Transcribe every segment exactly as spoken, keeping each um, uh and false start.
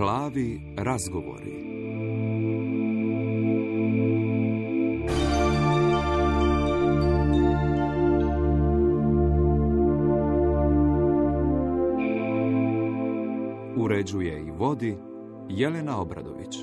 Plavi razgovori. Uređuje i vodi Jelena Obradović.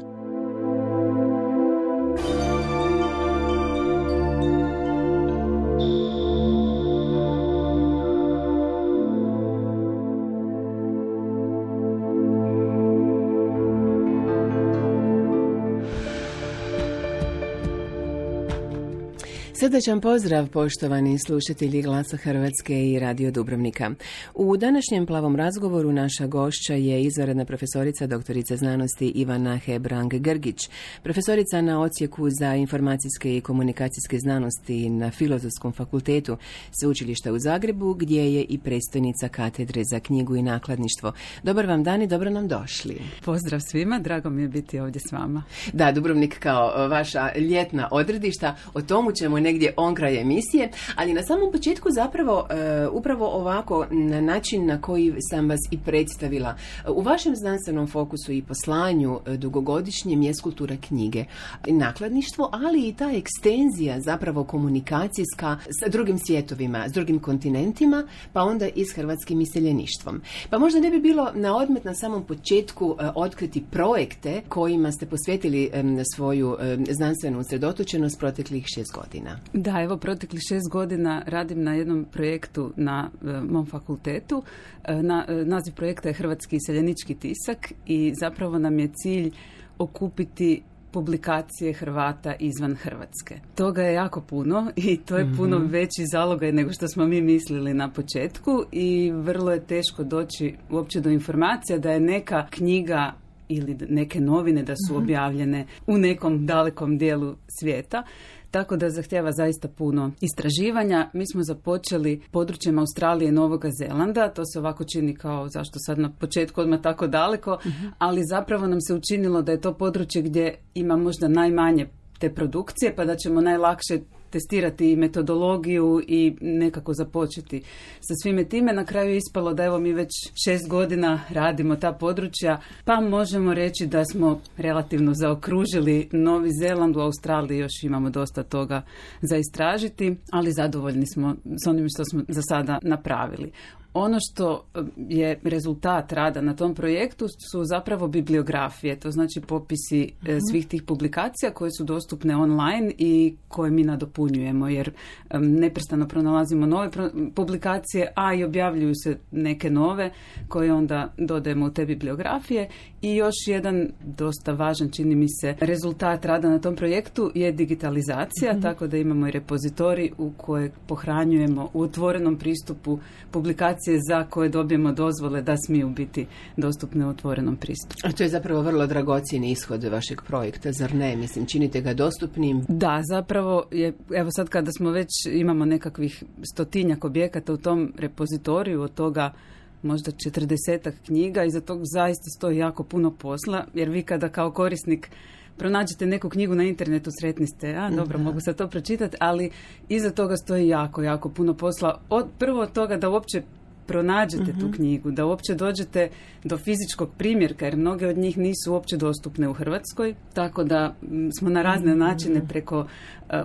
Srdačan pozdrav, poštovani slušatelji Glasa Hrvatske i Radio Dubrovnika. U današnjem plavom razgovoru naša gošća je izvanredna profesorica doktorica znanosti Ivana Hebrang-Grgić, profesorica na odsjeku za informacijske i komunikacijske znanosti na Filozofskom fakultetu Sveučilišta u Zagrebu, gdje je i predstojnica katedre za knjigu i nakladništvo. Dobar vam dan i dobro nam došli. Pozdrav svima, drago mi je biti ovdje s vama. Da, Dubrovnik kao vaša ljetna odredišta, o tomu ćemo negdje on kraj emisije, ali na samom početku zapravo e, upravo ovako na način na koji sam vas i predstavila. U vašem znanstvenom fokusu i poslanju e, dugogodišnjem je kultura knjige, nakladništvo, ali i ta ekstenzija zapravo komunikacijska s drugim svjetovima, s drugim kontinentima, pa onda i s hrvatskim iseljeništvom. Pa možda ne bi bilo na odmet na samom početku e, otkriti projekte kojima ste posvetili e, svoju e, znanstvenu usredotočenost proteklih šest godina. Da, evo, proteklih šest godina radim na jednom projektu na e, mom fakultetu. E, na, e, naziv projekta je Hrvatski iseljenički tisak i zapravo nam je cilj okupiti publikacije Hrvata izvan Hrvatske. Toga je jako puno i to je puno mm-hmm. veći zalogaj nego što smo mi mislili na početku i vrlo je teško doći uopće do informacija da je neka knjiga ili neke novine da su mm-hmm. objavljene u nekom dalekom dijelu svijeta. Tako da zahtjeva zaista puno istraživanja. Mi smo započeli područjem Australije i Novoga Zelanda. To se ovako čini kao zašto sad na početku odmah tako daleko, uh-huh. ali zapravo nam se učinilo da je to područje gdje ima možda najmanje te produkcije, pa da ćemo najlakše testirati i metodologiju i nekako započeti sa svime time. Na kraju je ispalo da evo mi već šest godina radimo ta područja, pa možemo reći da smo relativno zaokružili Novi Zeland. U Australiji još imamo dosta toga za istražiti, ali zadovoljni smo s onim što smo za sada napravili. Ono što je rezultat rada na tom projektu su zapravo bibliografije, to znači popisi mm-hmm. svih tih publikacija koje su dostupne online i koje mi nadopunjujemo, jer um, neprestano pronalazimo nove pro- publikacije, a i objavljuju se neke nove koje onda dodajemo u te bibliografije. I još jedan dosta važan, čini mi se, rezultat rada na tom projektu je digitalizacija, mm-hmm. tako da imamo i repozitorij u kojeg pohranjujemo u otvorenom pristupu publikacije za koje dobijemo dozvole da smiju biti dostupne u otvorenom pristupu. A to je zapravo vrlo dragocjeni ishod vašeg projekta, zar ne? Mislim, činite ga dostupnim. Da, zapravo je, evo sad kada smo već imamo nekakvih stotinjak objekata u tom repozitoriju, od toga možda četrdesetak knjiga, iza tog zaista stoji jako puno posla, jer vi kada kao korisnik pronađete neku knjigu na internetu, sretni ste, a dobro, da. Mogu sad to pročitati, ali iza toga stoji jako, jako puno posla. Od, prvo od toga da uopće pronađete mm-hmm. tu knjigu, da uopće dođete do fizičkog primjerka, jer mnoge od njih nisu uopće dostupne u Hrvatskoj, tako da m, smo na razne mm-hmm. načine preko uh,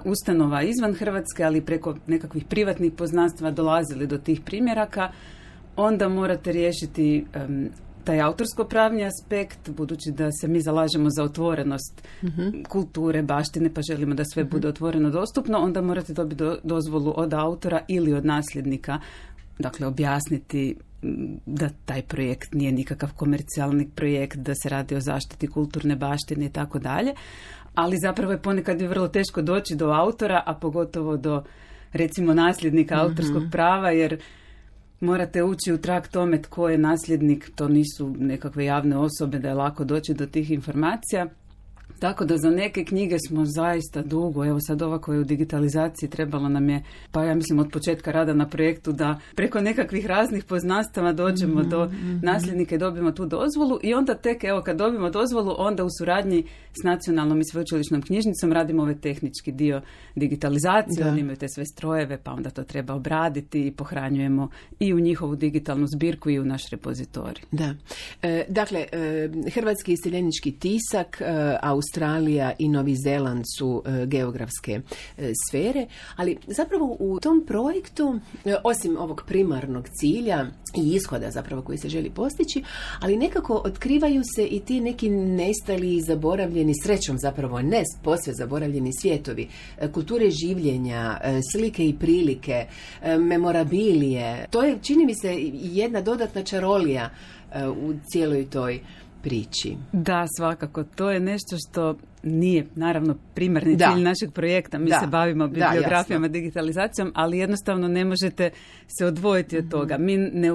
ustanova izvan Hrvatske, ali preko nekakvih privatnih poznanstva dolazili do tih primjeraka. Onda morate riješiti um, taj autorsko-pravni aspekt, budući da se mi zalažemo za otvorenost mm-hmm. kulture, baštine, pa želimo da sve mm-hmm. bude otvoreno dostupno, onda morate dobiti do, dozvolu od autora ili od nasljednika. Dakle, objasniti da taj projekt nije nikakav komercijalni projekt, da se radi o zaštiti kulturne baštine i tako dalje. Ali zapravo je ponekad je vrlo teško doći do autora, a pogotovo do, recimo, nasljednika mm-hmm. autorskog prava, jer morate ući u trag tome tko je nasljednik, to nisu nekakve javne osobe da je lako doći do tih informacija. Tako da za neke knjige smo zaista dugo, evo sad ova koja je u digitalizaciji trebalo nam je, pa ja mislim od početka rada na projektu da preko nekakvih raznih poznanstava dođemo mm-hmm. do nasljednika i dobijemo tu dozvolu i onda tek evo kad dobijemo dozvolu onda u suradnji s nacionalnom i sveučilišnom knjižnicom radimo ovaj tehnički dio digitalizacije, oni imaju te sve strojeve pa onda to treba obraditi i pohranjujemo i u njihovu digitalnu zbirku i u naš repozitorij. Da. E, dakle, e, Hrvatski iseljenički tisak, e, Australija i Novi Zeland su e, geografske e, sfere, ali zapravo u tom projektu, e, osim ovog primarnog cilja i ishoda zapravo koji se želi postići, ali nekako otkrivaju se i ti neki nestali i zaboravljeni, srećom zapravo ne posve zaboravljeni svijetovi, e, kulture življenja, e, slike i prilike, e, memorabilije. To je, čini mi se, jedna dodatna čarolija e, u cijeloj toj priči. Da, svakako. To je nešto što nije, naravno, primarni da. cilj našeg projekta. Mi da. se bavimo bibliografijama, da, digitalizacijom, ali jednostavno ne možete se odvojiti od toga. Mi ne,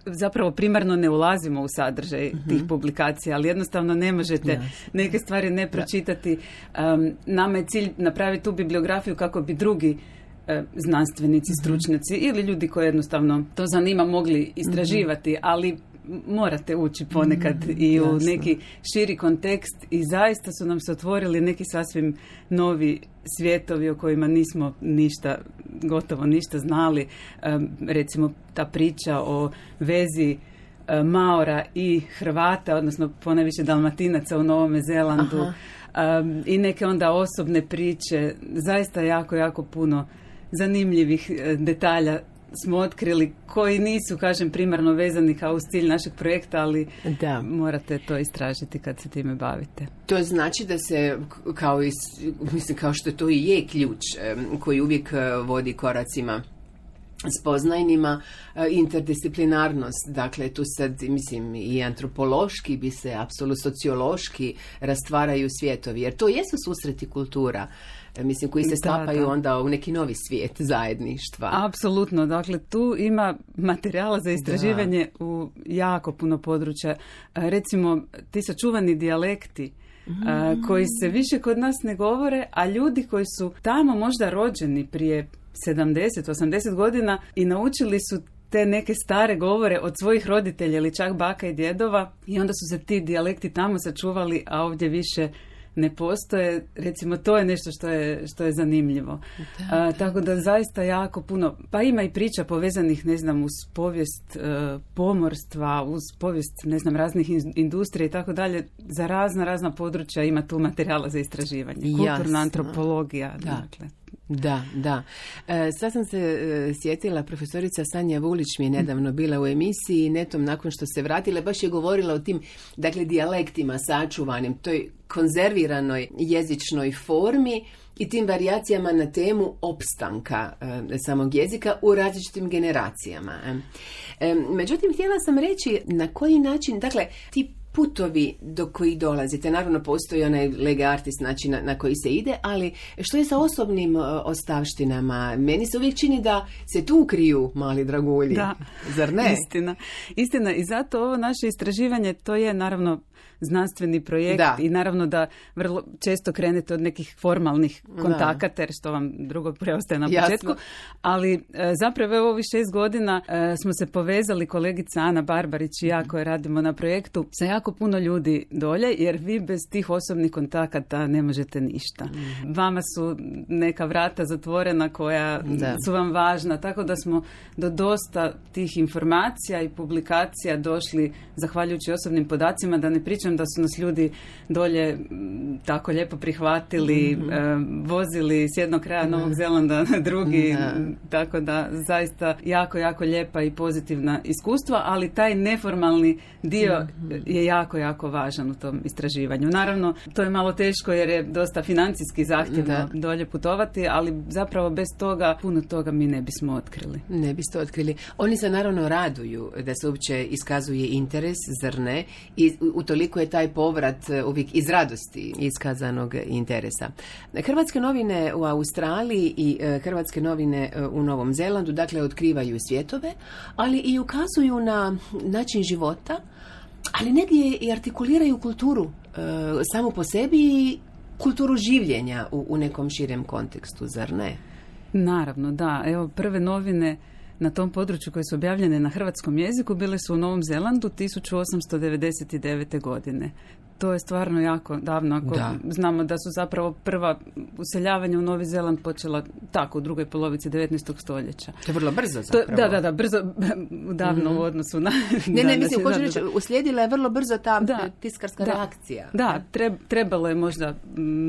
zapravo primarno ne ulazimo u sadržaj mm-hmm. tih publikacija, ali jednostavno ne možete yes. neke stvari ne pročitati. Um, nama je cilj napraviti tu bibliografiju kako bi drugi znanstvenici, stručnjaci mm-hmm. ili ljudi koji jednostavno to zanima mogli istraživati, mm-hmm. ali morate ući ponekad mm, i u jasno. neki širi kontekst i zaista su nam se otvorili neki sasvim novi svijetovi o kojima nismo ništa, gotovo ništa znali. Um, recimo ta priča o vezi um, Maora i Hrvata, odnosno ponajviše Dalmatinaca u Novome Zelandu um, i neke onda osobne priče, zaista jako, jako puno zanimljivih detalja smo otkrili koji nisu, kažem, primarno vezani kao uz cilj našeg projekta, ali da. morate to istražiti kad se time bavite. To znači da se, kao, i, mislim, kao što to i je ključ koji uvijek vodi koracima spoznajnima, interdisciplinarnost, dakle tu sad, mislim, i antropološki bi se, apsolutno sociološki rastvaraju svijetovi, jer to jesu susreti kultura, mislim, koji se stapaju da, da. onda u neki novi svijet zajedništva. Apsolutno, dakle tu ima materijala za istraživanje da. u jako puno područja. Recimo, ti sačuvani dijalekti mm. a, koji se više kod nas ne govore, a ljudi koji su tamo možda rođeni prije sedamdeset osamdeset godina i naučili su te neke stare govore od svojih roditelja ili čak baka i djedova i onda su se ti dijalekti tamo sačuvali, a ovdje više ne postoje. Recimo, to je nešto što je, što je zanimljivo. Da, da. A, tako da zaista jako puno, pa ima i priča povezanih, ne znam, uz povijest e, pomorstva, uz povijest, ne znam, raznih industrija i tako dalje. Za razna, razna područja ima tu materijala za istraživanje. Kulturna Jasno. antropologija, da. dakle. Da, da. E, sad sam se e, sjetila, profesorica Sanja Vulić mi je nedavno bila u emisiji i netom nakon što se vratila, baš je govorila o tim, dakle, dijalektima sačuvanim, toj konzerviranoj jezičnoj formi i tim varijacijama na temu opstanka e, samog jezika u različitim generacijama. E, međutim, htjela sam reći na koji način, dakle, ti putovi do kojih dolazite, naravno postoji onaj lega artis način na, na koji se ide, ali što je sa osobnim uh, ostavštinama? Meni se uvijek čini da se tu kriju mali dragulji, da. Zar ne? Istina. Istina, i zato ovo naše istraživanje, to je naravno znanstveni projekt da. i naravno da vrlo često krenete od nekih formalnih kontakata, jer što vam drugo preostaje na Jasno. početku, ali e, zapravo evo ovih šest godina e, smo se povezali, kolegica Ana Barbarić i ja koje radimo na projektu, sa jako puno ljudi dolje, jer vi bez tih osobnih kontakata ne možete ništa. Mm. Vama su neka vrata zatvorena koja da. su vam važna, tako da smo do dosta tih informacija i publikacija došli zahvaljujući osobnim podacima, da ne pričam da su nas ljudi dolje tako lijepo prihvatili, mm-hmm. e, vozili s jednog kraja Novog Zelanda na drugi, da. tako da zaista jako, jako lijepa i pozitivna iskustva, ali taj neformalni dio mm-hmm. je jako, jako važan u tom istraživanju. Naravno, to je malo teško jer je dosta financijski zahtjevno da. dolje putovati, ali zapravo bez toga, puno toga mi ne bismo otkrili. Ne biste otkrili. Oni se naravno raduju da se uopće iskazuje interes, zar ne? I utoliko je taj povrat uvijek iz radosti iskazanog interesa. Hrvatske novine u Australiji i hrvatske novine u Novom Zelandu, dakle, otkrivaju svjetove, ali i ukazuju na način života, ali negdje i artikuliraju kulturu samo po sebi kulturu življenja u, u nekom širem kontekstu, zar ne? Naravno, da. Evo, prve novine na tom području koje su objavljene na hrvatskom jeziku bile su u Novom Zelandu tisuću osamsto devedeset devete. godine. To je stvarno jako davno, ako da. Znamo da su zapravo prva useljavanja u Novi Zeland počela tako u drugoj polovici devetnaestog stoljeća. To je vrlo brzo zapravo. To, da, da, da, brzo, davno mm-hmm. u odnosu na... Ne, ne, mislim, hoću reći, uslijedila je vrlo brzo ta da, tiskarska da, reakcija. Da, treb, trebalo je možda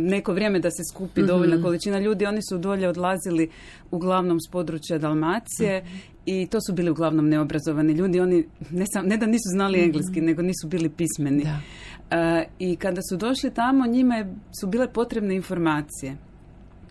neko vrijeme da se skupi mm-hmm. dovoljna količina ljudi. Oni su dolje odlazili uglavnom s područja Dalmacije mm-hmm. i to su bili uglavnom neobrazovani ljudi. Oni ne, sam, ne da nisu znali mm-hmm. engleski, nego nisu bili pismeni. Da. Uh, I kada su došli tamo, njima je, su bile potrebne informacije.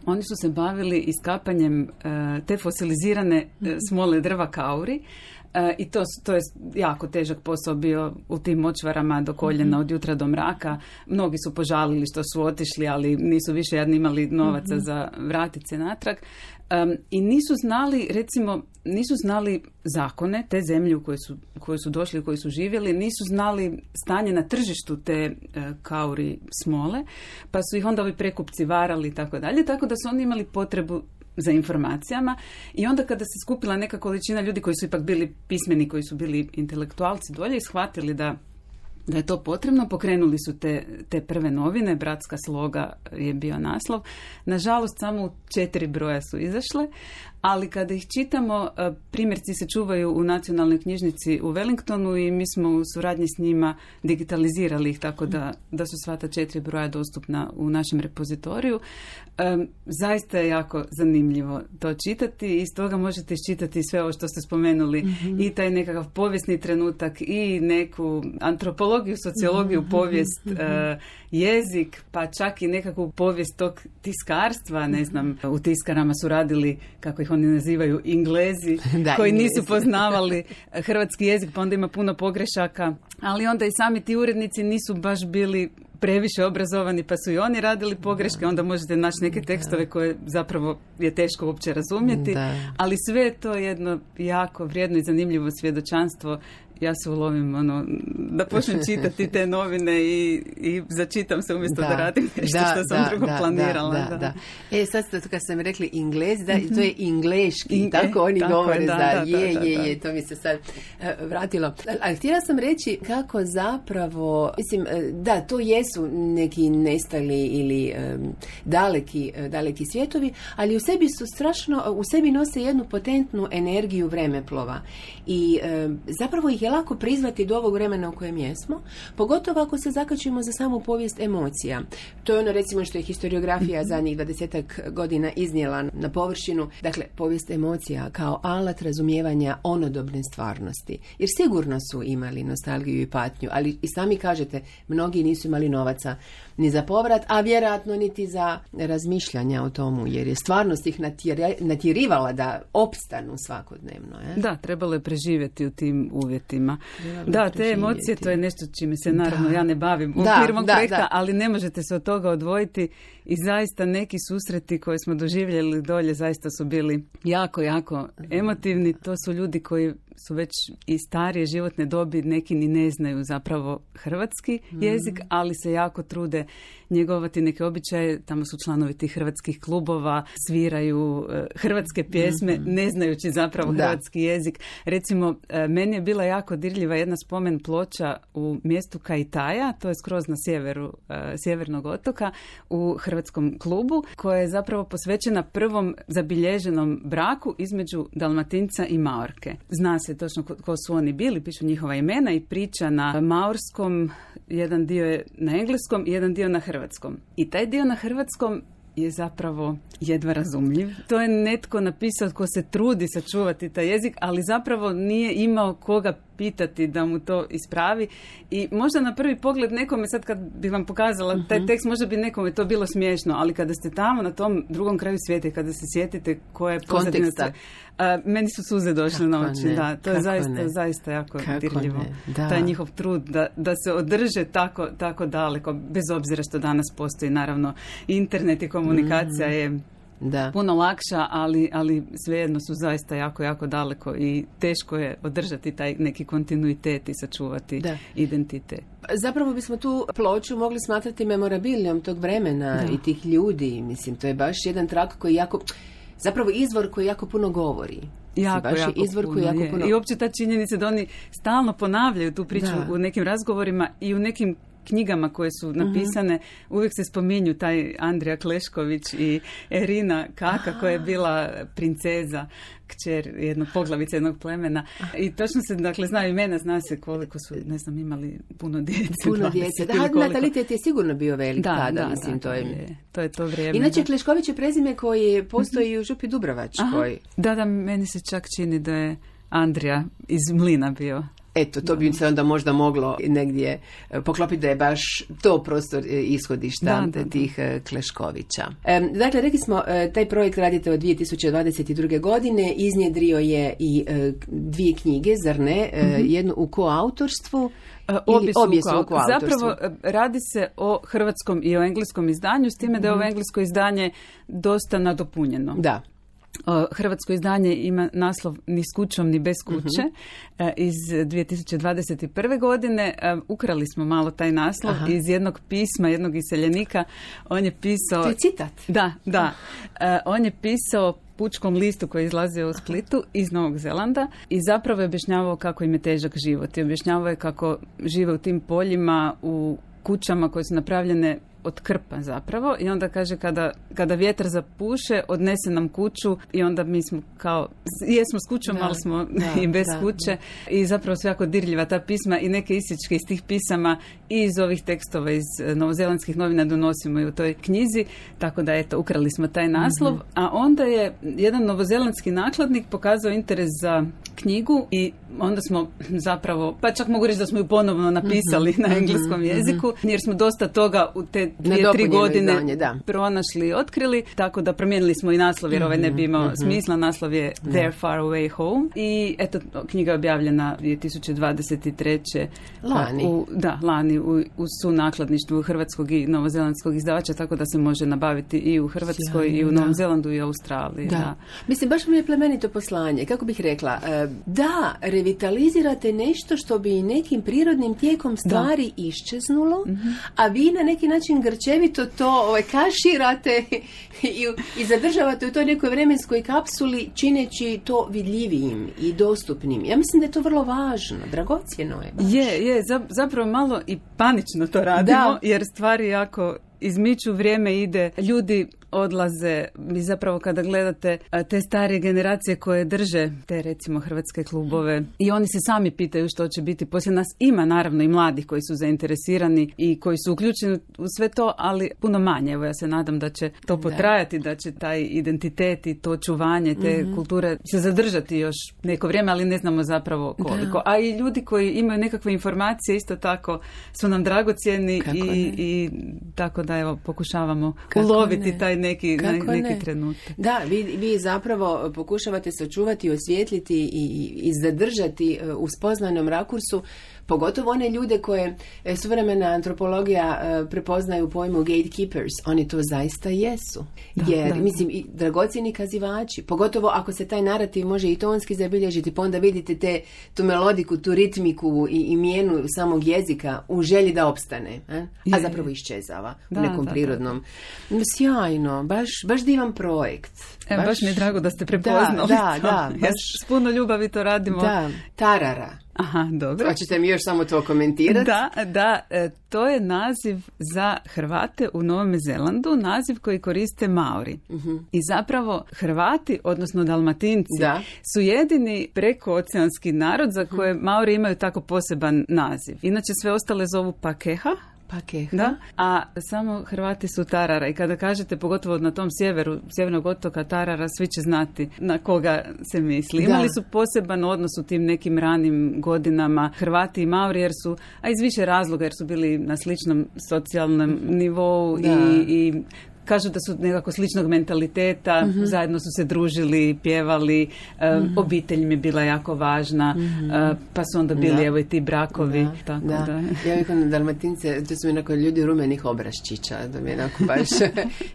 Oni su se bavili iskapanjem uh, te fosilizirane uh, smole drva kauri uh, i to, to je jako težak posao bio u tim močvarama do koljena, od jutra do mraka. Mnogi su požalili što su otišli, ali nisu više jadni imali novaca za vratit se natrag. Um, I nisu znali, recimo, nisu znali zakone te zemlje u koje su, koje su došli, u koje su živjeli, nisu znali stanje na tržištu te uh, kauri smole, pa su ih onda ovi prekupci varali i tako dalje, tako da su oni imali potrebu za informacijama i onda kada se skupila neka količina ljudi koji su ipak bili pismeni, koji su bili intelektualci dolje i shvatili da da je to potrebno, pokrenuli su te, te prve novine, Bratska sloga je bio naslov. Nažalost, samo u četiri broja su izašle, ali kada ih čitamo, primjerci se čuvaju u nacionalnoj knjižnici u Wellingtonu i mi smo u suradnji s njima digitalizirali ih, tako da, da su sva ta četiri broja dostupna u našem repozitoriju. Um, zaista je jako zanimljivo to čitati i iz toga možete iščitati sve ovo što ste spomenuli, mm-hmm. i taj nekakav povijesni trenutak i neku antropologiju, sociologiju, mm-hmm. povijest, mm-hmm. Uh, jezik, pa čak i nekakvu povijest tog tiskarstva, ne znam, u tiskarama su radili, kako ih oni nazivaju, Inglezi, da, koji Inglezi. Nisu poznavali hrvatski jezik, pa onda ima puno pogrešaka, ali onda i sami ti urednici nisu baš bili previše obrazovani, pa su i oni radili pogreške, onda možete naći neke tekstove koje zapravo je teško uopće razumjeti, da. Ali sve je to jedno jako vrijedno i zanimljivo svjedočanstvo. Ja se ulovim, ono, da počnem čitati te novine i, i začitam se umjesto da, da radim nešto da, što sam da, drugo da, planirala. Da, da, da. E, sad kad sam rekli Inglez, da, mm-hmm. to je ingleški, Inge, tako oni tako govore, da, da, da, je, da, da, je, je, to mi se sad uh, vratilo. Ali htjela sam reći kako zapravo, mislim, uh, da, to jesu neki nestali ili um, daleki, uh, daleki svijetovi, ali u sebi su strašno, u sebi nose jednu potentnu energiju vremeplova i uh, zapravo ih je lako prizvati do ovog vremena u kojem jesmo, pogotovo ako se zakačimo za samu povijest emocija. To je ono, recimo, što je historiografija zadnjih dvadesetak godina iznijela na površinu. Dakle, povijest emocija kao alat razumijevanja onodobne stvarnosti. Jer sigurno su imali nostalgiju i patnju, ali i sami kažete, mnogi nisu imali novaca ni za povrat, a vjerojatno niti za razmišljanja o tomu, jer je stvarnost ih natjerivala da opstanu svakodnevno. Je? Da, trebalo je preživjeti u tim uvjetima. Trebalo da, te emocije, to je nešto čime se naravno da. ja ne bavim u okviru mog projekta, da. ali ne možete se od toga odvojiti i zaista neki susreti koje smo doživjeli dolje zaista su bili jako, jako emotivni. To su ljudi koji su već i starije životne dobi, neki ni ne znaju zapravo hrvatski jezik, mm. ali se jako trude njegovati neke običaje. Tamo su članovi tih hrvatskih klubova, sviraju uh, hrvatske pjesme, mm-hmm. ne znajući zapravo da. hrvatski jezik. Recimo, uh, meni je bila jako dirljiva jedna spomen ploča u mjestu Kajtaja, to je skroz na sjeveru uh, sjevernog otoka, u hrvatskom klubu, koja je zapravo posvećena prvom zabilježenom braku između Dalmatinca i Maorke. Zna se točno ko, ko su oni bili, pišu njihova imena i priča na maorskom, jedan dio je na engleskom i jedan dio na hrvatskom. I taj dio na hrvatskom je zapravo jedva razumljiv. To je netko napisao ko se trudi sačuvati taj jezik, ali zapravo nije imao koga pitati da mu to ispravi i možda na prvi pogled nekome, sad kad bih vam pokazala uh-huh. taj tekst, možda bi nekome to bilo smiješno, ali kada ste tamo na tom drugom kraju svijeta i kada se sjetite koja je pozadina, uh, meni su suze došle kako na oči. Da, to je zaista, zaista jako dirljivo. Taj njihov trud da, da se održe tako, tako daleko, bez obzira što danas postoji naravno internet i komunikacija mm. je da. puno lakša, ali, ali svejedno su zaista jako, jako daleko i teško je održati taj neki kontinuitet i sačuvati da. identitet. Zapravo bismo tu ploču mogli smatrati memorabilijom tog vremena da. i tih ljudi. Mislim, to je baš jedan trak koji jako... Zapravo izvor koji jako puno govori. Jako, baš jako izvor puno, koji jako puno... I uopće ta činjenica da oni stalno ponavljaju tu priču da. u nekim razgovorima i u nekim knjigama koje su napisane, uh-huh. uvijek se spominju taj Andrija Klešković i Erina Kaka, koja je bila princeza, kćer jednog poglavice jednog plemena. I točno se, dakle, znaju imena, zna se koliko su, ne znam, imali puno djece. Puno djece. Da, natalitet je sigurno bio velik da, tada, da, mislim, da, to je... je. To je to vrijeme. Inače, da. Klešković je prezime koji postoji u Župi Dubrovačkoj. Aha. Da, da, meni se čak čini da je Andrija iz Mlina bio. Eto, to bi se onda možda moglo negdje poklopiti da je baš to prostor ishodišta da, da, da. tih Kleškovića. E, dakle, rekli smo, taj projekt radite od dvije tisuće dvadeset druge. godine, iznjedrio je i e, dvije knjige, zar ne? E, mm-hmm. Jednu u koautorstvu. Obje su, obje su u koautorstvu. Zapravo radi se o hrvatskom i o engleskom izdanju, s time da je ovo englesko izdanje dosta nadopunjeno. Da. Hrvatsko izdanje ima naslov Ni s kućom, ni bez kuće uh-huh. iz dvije tisuće dvadeset prve. godine. Ukrali smo malo taj naslov Aha. iz jednog pisma, jednog iseljenika. On je pisao... To je citat. Da, da. On je pisao pučkom listu koji je izlazio u Splitu iz Novog Zelanda i zapravo je objašnjavao kako im je težak život. I objašnjavao je kako žive u tim poljima, u kućama koje su napravljene od krpa zapravo i onda kaže kada, kada vjetar zapuše odnese nam kuću i onda mi smo kao jesmo s kućom, da, ali smo da, i bez da, kuće da. I zapravo su jako dirljiva ta pisma i neke isječke iz tih pisama i iz ovih tekstova iz novozelandskih novina donosimo i u toj knjizi, tako da eto ukrali smo taj naslov, mm-hmm. a onda je jedan novozelandski nakladnik pokazao interes za knjigu i onda smo zapravo, pa čak mogu reći da smo ju ponovno napisali mm-hmm. na engleskom jeziku, mm-hmm. jer smo dosta toga u te dvije, tri godine izdanje, da. pronašli i otkrili, tako da promijenili smo i naslov, jer ovaj ne bi imao mm-hmm. smisla. Naslov je mm-hmm. They're Far Away Home i eto, knjiga je objavljena dvije tisuće dvadeset treće. Lani. U, da, lani u, u sunakladništvu hrvatskog i novozelandskog izdavača, tako da se može nabaviti i u Hrvatskoj Sjajno, i u Novom da. Zelandu i Australiji. Da. Da. Mislim, baš mi je plemenito poslanje. Kako bih rekla, da, revitalizirate nešto što bi nekim prirodnim tijekom stvari da. iščeznulo, mm-hmm. a vi na neki način grčevito to ovaj, kaširate i, i zadržavate u toj nekoj vremenskoj kapsuli čineći to vidljivijim i dostupnim. Ja mislim da je to vrlo važno, dragocjeno je. Baš. Je, je, zapravo malo i panično to radimo, da. jer stvari jako izmiču, vrijeme ide, ljudi odlaze i zapravo kada gledate te starije generacije koje drže te recimo hrvatske klubove i oni se sami pitaju što će biti poslije nas. Ima naravno i mladih koji su zainteresirani i koji su uključeni u sve to, ali puno manje. Evo ja se nadam da će to potrajati, da, da će taj identitet i to čuvanje te mm-hmm. kulture se zadržati još neko vrijeme, ali ne znamo zapravo koliko. Da. A i ljudi koji imaju nekakve informacije isto tako su nam dragocjeni i, i tako da evo pokušavamo Kako uloviti ne? taj neki, Kako neki ne? trenutak. Da, vi, vi zapravo pokušavate sačuvati, osvijetliti i, i zadržati u spoznanom rakursu pogotovo one ljude koje suvremena antropologija prepoznaju u pojmu gatekeepers. Oni to zaista jesu. Da, Jer, da. mislim, i dragocjeni kazivači. Pogotovo ako se taj narativ može i tonski zabilježiti, pa onda vidite te, tu melodiku, tu ritmiku i, i mijenu samog jezika u želji da opstane. A, a zapravo iščezava da, u nekom da, prirodnom. Da, da. Sjajno. Baš, baš divan projekt. E, baš, baš mi je drago da ste prepoznali da, da, to. Da, baš, s puno ljubavi to radimo. Da, tarara. Aha, dobro. Hoćete mi još samo to komentirati? Da, da, e, to je naziv za Hrvate u Novom Zelandu, naziv koji koriste Maori. Uh-huh. I zapravo Hrvati, odnosno Dalmatinci, da. su jedini prekooceanski narod za koje Maori imaju tako poseban naziv. Inače sve ostale zovu Pakeha. Pakeha. Da, a samo Hrvati su Tarara i kada kažete, pogotovo na tom sjeveru, sjevernog otoka Tarara, svi će znati na koga se misli. Imali su poseban odnos u tim nekim ranim godinama Hrvati i Maori, jer su, a iz više razloga, jer su bili na sličnom socijalnom nivou i, i kažu da su nekako sličnog mentaliteta, mm-hmm. zajedno su se družili, pjevali, mm-hmm. obitelj mi je bila jako važna, mm-hmm. pa su onda bili da. evo i ti brakovi. Da. Tako da. Da. Ja uvijek na Dalmatince, to su mi onako ljudi rumenih obraščića, da mi je onako baš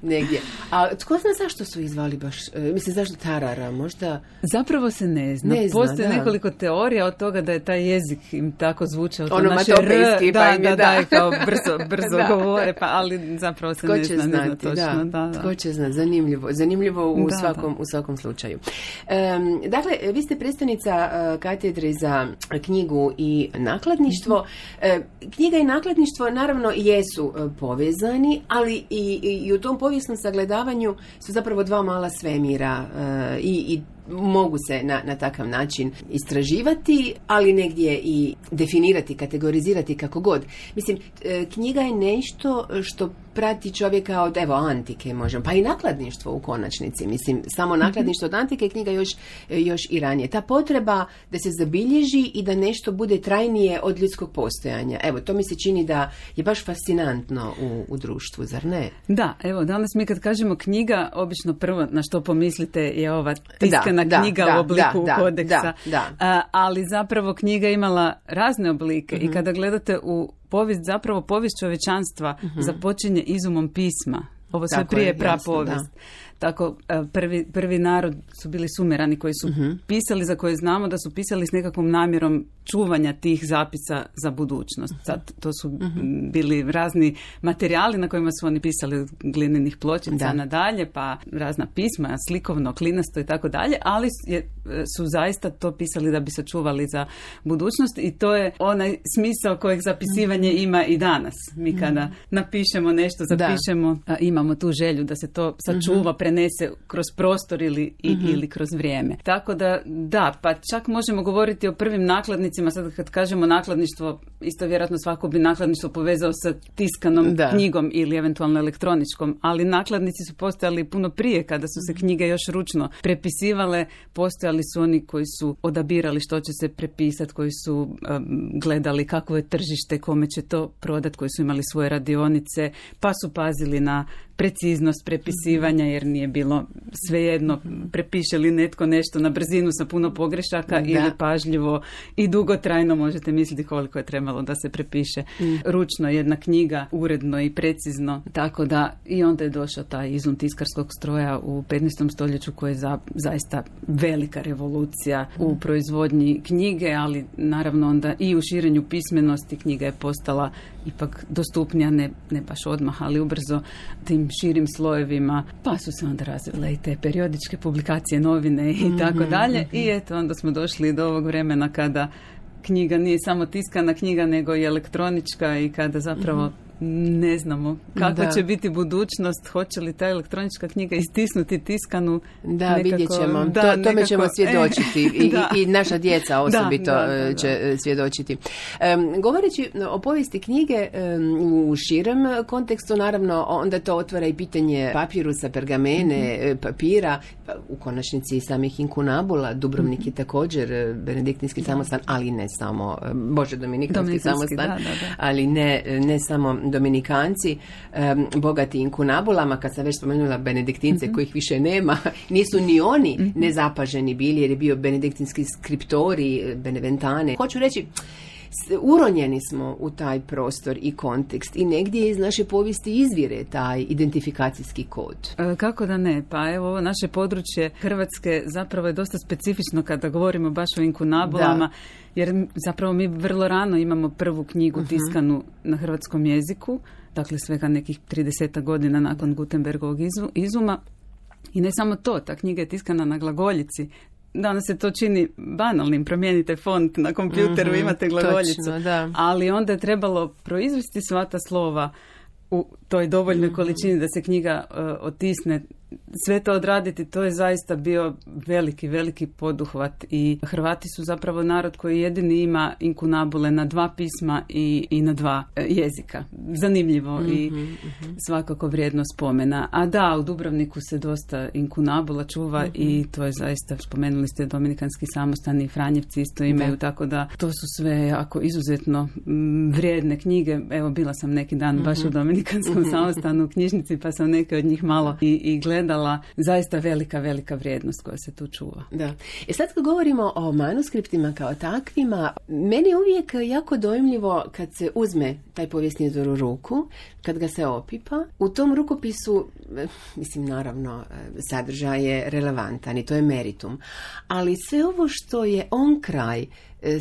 negdje. A tko zna zašto su izvali baš, mislim zašto Tarara, možda? Zapravo se ne zna. Ne zna Postoje da. nekoliko teorija od toga da je taj jezik im tako zvučao. Ono matopejski, pa im je da. Da, da, kao brzo, brzo da. govore, pa ali zapravo se Tko ne će zna, znati, ne zna točno. Da. Da, da. Tko će znati, zanimljivo. Zanimljivo u, da, svakom, da. u svakom slučaju. Um, dakle, vi ste predstavnica uh, katedre za knjigu i nakladništvo. Mm-hmm. Uh, knjiga i nakladništvo naravno jesu uh, povezani, ali i, i, i u tom povijesnom sagledavanju su zapravo dva mala svemira uh, i, i mogu se na, na takav način istraživati, ali negdje i definirati, kategorizirati kako god. Mislim, knjiga je nešto što prati čovjeka od, evo, antike možemo, pa i nakladništvo u konačnici. Mislim, samo nakladništvo od antike, knjiga još, još i ranije. Ta potreba da se zabilježi i da nešto bude trajnije od ljudskog postojanja. Evo, to mi se čini da je baš fascinantno u, u društvu, zar ne? Da, evo, danas mi kad kažemo knjiga, obično prvo na što pomislite je ova tiskana da, knjiga da, u obliku da, kodeksa. Da, da. A, ali zapravo knjiga imala razne oblike mm-hmm. i kada gledate u povijest, zapravo povijest čovječanstva mm-hmm. započinje izumom pisma. Ovo sve Tako prije je, prapovijest. jasno, Tako, prvi, prvi narod su bili Sumerani koji su uh-huh. pisali, za koje znamo da su pisali s nekakvom namjerom čuvanja tih zapisa za budućnost. Sad, to su uh-huh. bili razni materijali na kojima su oni pisali od glinenih pločica da. nadalje, pa razna pisma, slikovno, klinasto i tako dalje, ali je, su zaista to pisali da bi se čuvali za budućnost i to je onaj smisao kojeg zapisivanje uh-huh. ima i danas. Mi kada uh-huh. napišemo nešto, zapišemo, a, imamo tu želju da se to sačuva, uh-huh. prenese kroz prostor ili, i, mm-hmm. ili kroz vrijeme. Tako da, da, pa čak možemo govoriti o prvim nakladnicima, sad kad kažemo nakladništvo, isto vjerojatno svako bi nakladništvo povezao sa tiskanom da. knjigom ili eventualno elektroničkom, ali nakladnici su postojali puno prije, kada su se knjige još ručno prepisivale, postojali su oni koji su odabirali što će se prepisati, koji su um, gledali kakvo je tržište, kome će to prodati, koji su imali svoje radionice, pa su pazili na preciznost prepisivanja, jer nije bilo svejedno prepiše li netko nešto na brzinu sa puno pogrešaka da. ili pažljivo i dugotrajno. Možete misliti koliko je trebalo da se prepiše mm. ručno jedna knjiga, uredno i precizno. Tako da i onda je došao taj izum tiskarskog stroja u petnaestom stoljeću koji je za, zaista velika revolucija mm. u proizvodnji knjige, ali naravno onda i u širenju pismenosti. Knjiga je postala ipak dostupnija, ne, ne baš odmah, ali ubrzo tim širim slojevima, pa su se onda razvile i te periodičke publikacije, novine i mm-hmm, tako dalje. Mm-hmm. I eto, onda smo došli do ovog vremena kada knjiga nije samo tiskana knjiga, nego i elektronička i kada zapravo mm-hmm. ne znamo kako da. će biti budućnost, hoće li ta elektronička knjiga istisnuti tiskanu. Da, nekako, vidjet ćemo. Da, to, tome nekako, ćemo svjedočiti e, I, da. i naša djeca osobito da, da, da, će da. svjedočiti. Um, govoreći o povijesti knjige um, u širem kontekstu, naravno, onda to otvara i pitanje papirusa, pergamene, mm-hmm. papira, u konačnici samih inkunabula. Dubrovnik mm-hmm. je također benediktinski da. samostan, ali ne samo, Bože, dominikanski samostan, da, da, da. ali ne, ne samo Dominikanci, um, bogati inkunabulama, kad sam već spomenula benediktince mm-hmm. kojih više nema, nisu ni oni mm-hmm. nezapaženi bili, jer je bio benediktinski skriptori, beneventane. Hoću reći, uronjeni smo u taj prostor i kontekst i negdje iz naše povijesti izvire taj identifikacijski kod. E, kako da ne? Pa evo, ovo naše područje Hrvatske zapravo je dosta specifično kada govorimo baš o inkunabulama, da. jer zapravo mi vrlo rano imamo prvu knjigu uh-huh. tiskanu na hrvatskom jeziku, dakle svega nekih trideset godina nakon Gutenbergovog izuma. I ne samo to, ta knjiga je tiskana na glagoljici. Danas se to čini banalnim, promijenite font na kompjuteru, mm-hmm, imate glagoljicu. Točno, da. Ali onda je trebalo proizvesti sva ta slova u toj dovoljnoj mm-hmm. količini da se knjiga uh, otisne sve to odraditi, to je zaista bio veliki, veliki poduhvat i Hrvati su zapravo narod koji jedini ima inkunabule na dva pisma i, i na dva jezika. Zanimljivo mm-hmm, i mm-hmm. svakako vrijedno spomena. A da, u Dubrovniku se dosta inkunabula čuva mm-hmm. i to je zaista, spomenuli ste Dominikanski samostani i Franjevci isto imaju, da. Tako da to su sve jako izuzetno m, vrijedne knjige. Evo, bila sam neki dan mm-hmm. baš u Dominikanskom mm-hmm. samostanu u knjižnici pa sam neke od njih malo i, i gledala. Zaista velika, velika vrijednost koja se tu čuva. Da. I sad kad govorimo o manuskriptima kao takvima, meni je uvijek jako dojmljivo kad se uzme taj povijesni izvor u ruku, kad ga se opipa. U tom rukopisu, mislim, naravno, sadržaj je relevantan i to je meritum. Ali sve ovo što je on kraj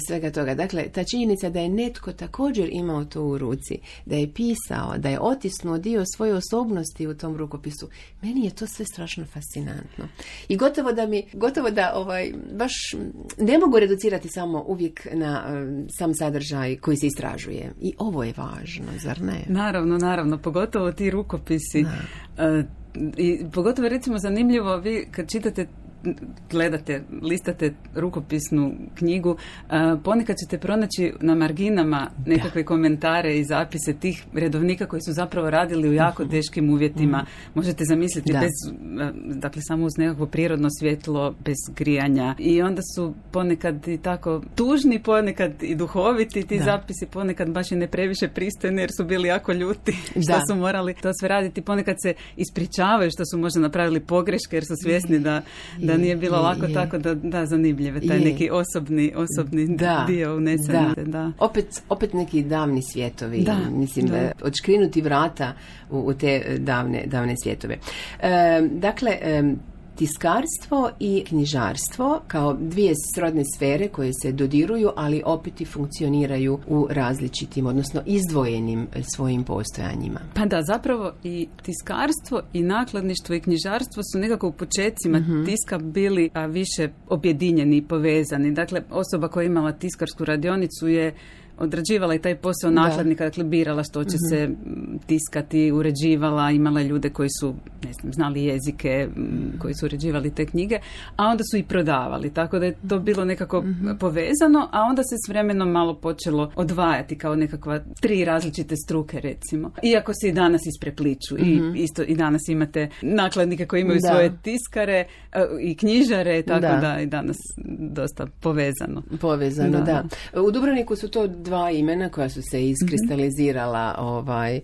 svega toga, dakle, ta činjenica da je netko također imao to u ruci, da je pisao, da je otisnuo dio svoje osobnosti u tom rukopisu, meni je to sve strašno fascinantno. I gotovo da mi, gotovo da ovaj, baš ne mogu reducirati samo uvijek na um, sam sadržaj koji se istražuje. I ovo je važno, zar ne? Naravno, naravno, pogotovo ti rukopisi. Uh, i pogotovo, recimo, zanimljivo, vi kad čitate, gledate, listate rukopisnu knjigu, a, ponekad ćete pronaći na marginama nekakve da. komentare i zapise tih redovnika koji su zapravo radili u jako teškim uvjetima. Mm. Možete zamisliti da. bez, dakle, samo uz nekakvo prirodno svjetlo, bez grijanja. I onda su ponekad i tako tužni, ponekad i duhoviti ti da. zapisi, ponekad baš i ne previše pristojni jer su bili jako ljuti što da. su morali to sve raditi. Ponekad se ispričavaju što su možda napravili pogreške jer su svjesni da, da nije bilo je, lako je. tako da, da zanimljive, taj je. neki osobni, osobni da, dio unesen. Da. Da. Opet, opet neki davni svijetovi, da, mislim, da. odškrinuti vrata u, u te davne, davne svjetove. E, dakle, e, tiskarstvo i knjižarstvo kao dvije srodne sfere koje se dodiruju, ali opet i funkcioniraju u različitim, odnosno izdvojenim svojim postojanjima. Pa da, zapravo i tiskarstvo i nakladništvo i knjižarstvo su nekako u počecima mm-hmm. tiska bili a, više objedinjeni i povezani. Dakle, osoba koja je imala tiskarsku radionicu je odrađivala i taj posao nakladnika, dakle birala što će mm-hmm. se tiskati, uređivala, imala ljude koji su, ne znam, znali jezike, koji su uređivali te knjige, a onda su i prodavali, tako da je to bilo nekako mm-hmm. povezano, a onda se s vremenom malo počelo odvajati kao nekakva tri različite struke, recimo. Iako se i danas isprepliču mm-hmm. i isto i danas imate nakladnike koji imaju da. svoje tiskare i knjižare, tako da. da i danas dosta povezano. Povezano, da. da. U Dubrovniku su to dva imena koja su se iskristalizirala, mm-hmm. ovaj,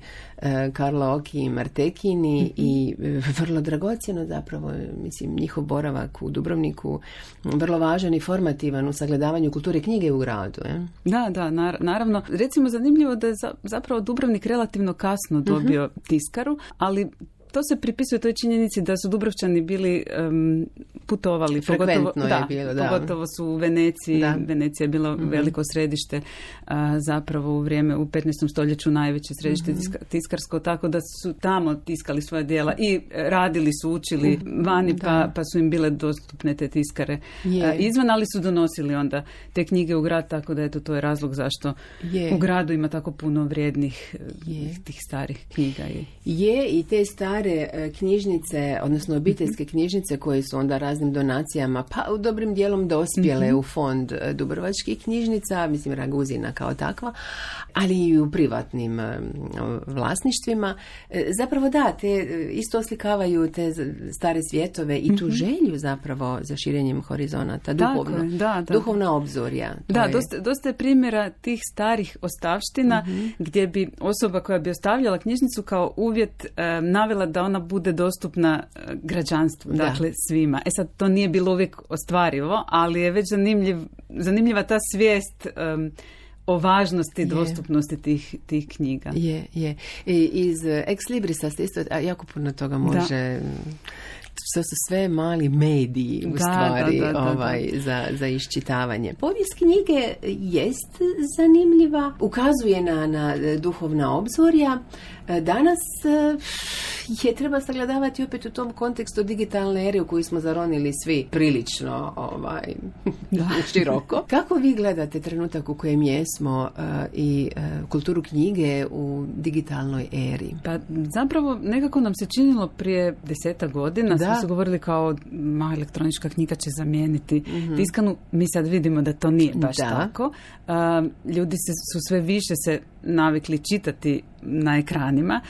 Karlo Oki i Martekini mm-hmm. i vrlo dragocjeno zapravo, mislim, njihov boravak u Dubrovniku vrlo važan i formativan u sagledavanju kulture knjige u gradu. Je? Da, da, naravno. Recimo, zanimljivo da je zapravo Dubrovnik relativno kasno dobio mm-hmm. tiskaru, ali to se pripisuje toj činjenici da su Dubrovčani bili um, putovali. Frekventno pogotovo, je da, bilo, da. Pogotovo su u Veneciji. Da. Venecija je bilo mm-hmm. veliko središte, a, zapravo u vrijeme, u petnaestom stoljeću najveće središte mm-hmm. tiska, tiskarsko, tako da su tamo tiskali svoja djela i radili su, učili mm-hmm. vani, pa, pa su im bile dostupne te tiskare a, izvan, ali su donosili onda te knjige u grad, tako da eto, to je razlog zašto je. u gradu ima tako puno vrijednih je. tih starih knjiga. Je, je i te stare knjižnice, odnosno obiteljske knjižnice koje su onda raznim donacijama, pa u dobrim dijelom dospjele mm-hmm. u fond dubrovačkih knjižnica, mislim Raguzina kao takva, ali i u privatnim vlasništvima. Zapravo da, te isto oslikavaju te stare svjetove i tu mm-hmm. želju zapravo za širenjem horizonata, duhovno, je, da, da. duhovna obzorja. Da, je... dosta, dosta je primjera tih starih ostavština mm-hmm. gdje bi osoba koja bi ostavljala knjižnicu kao uvjet um, navela da ona bude dostupna građanstvu, da. dakle svima. E sad, to nije bilo uvijek ostvarivo, ali je već zanimljiv, zanimljiva ta svijest um, o važnosti, je. dostupnosti tih, tih knjiga. Je, je. I iz Ex Librisa ste isto, jako puno toga može... Da. To su sve mali mediji u da, stvari da, da, da, ovaj, da. Za, za iščitavanje. Povijest knjige jest zanimljiva, ukazuje na, na duhovna obzorja, Danas je treba sagledavati opet u tom kontekstu digitalne ere u koju smo zaronili svi prilično ovaj, široko. Kako vi gledate trenutak u kojem jesmo uh, i uh, kulturu knjige u digitalnoj eri? Pa zapravo nekako nam se činilo prije desetak godina, smo se govorili kao ma, elektronička knjiga će zamijeniti mm-hmm. tiskanu. Mi sad vidimo da to nije baš da. tako. Uh, ljudi se, su sve više se navikli čitati na ekranima.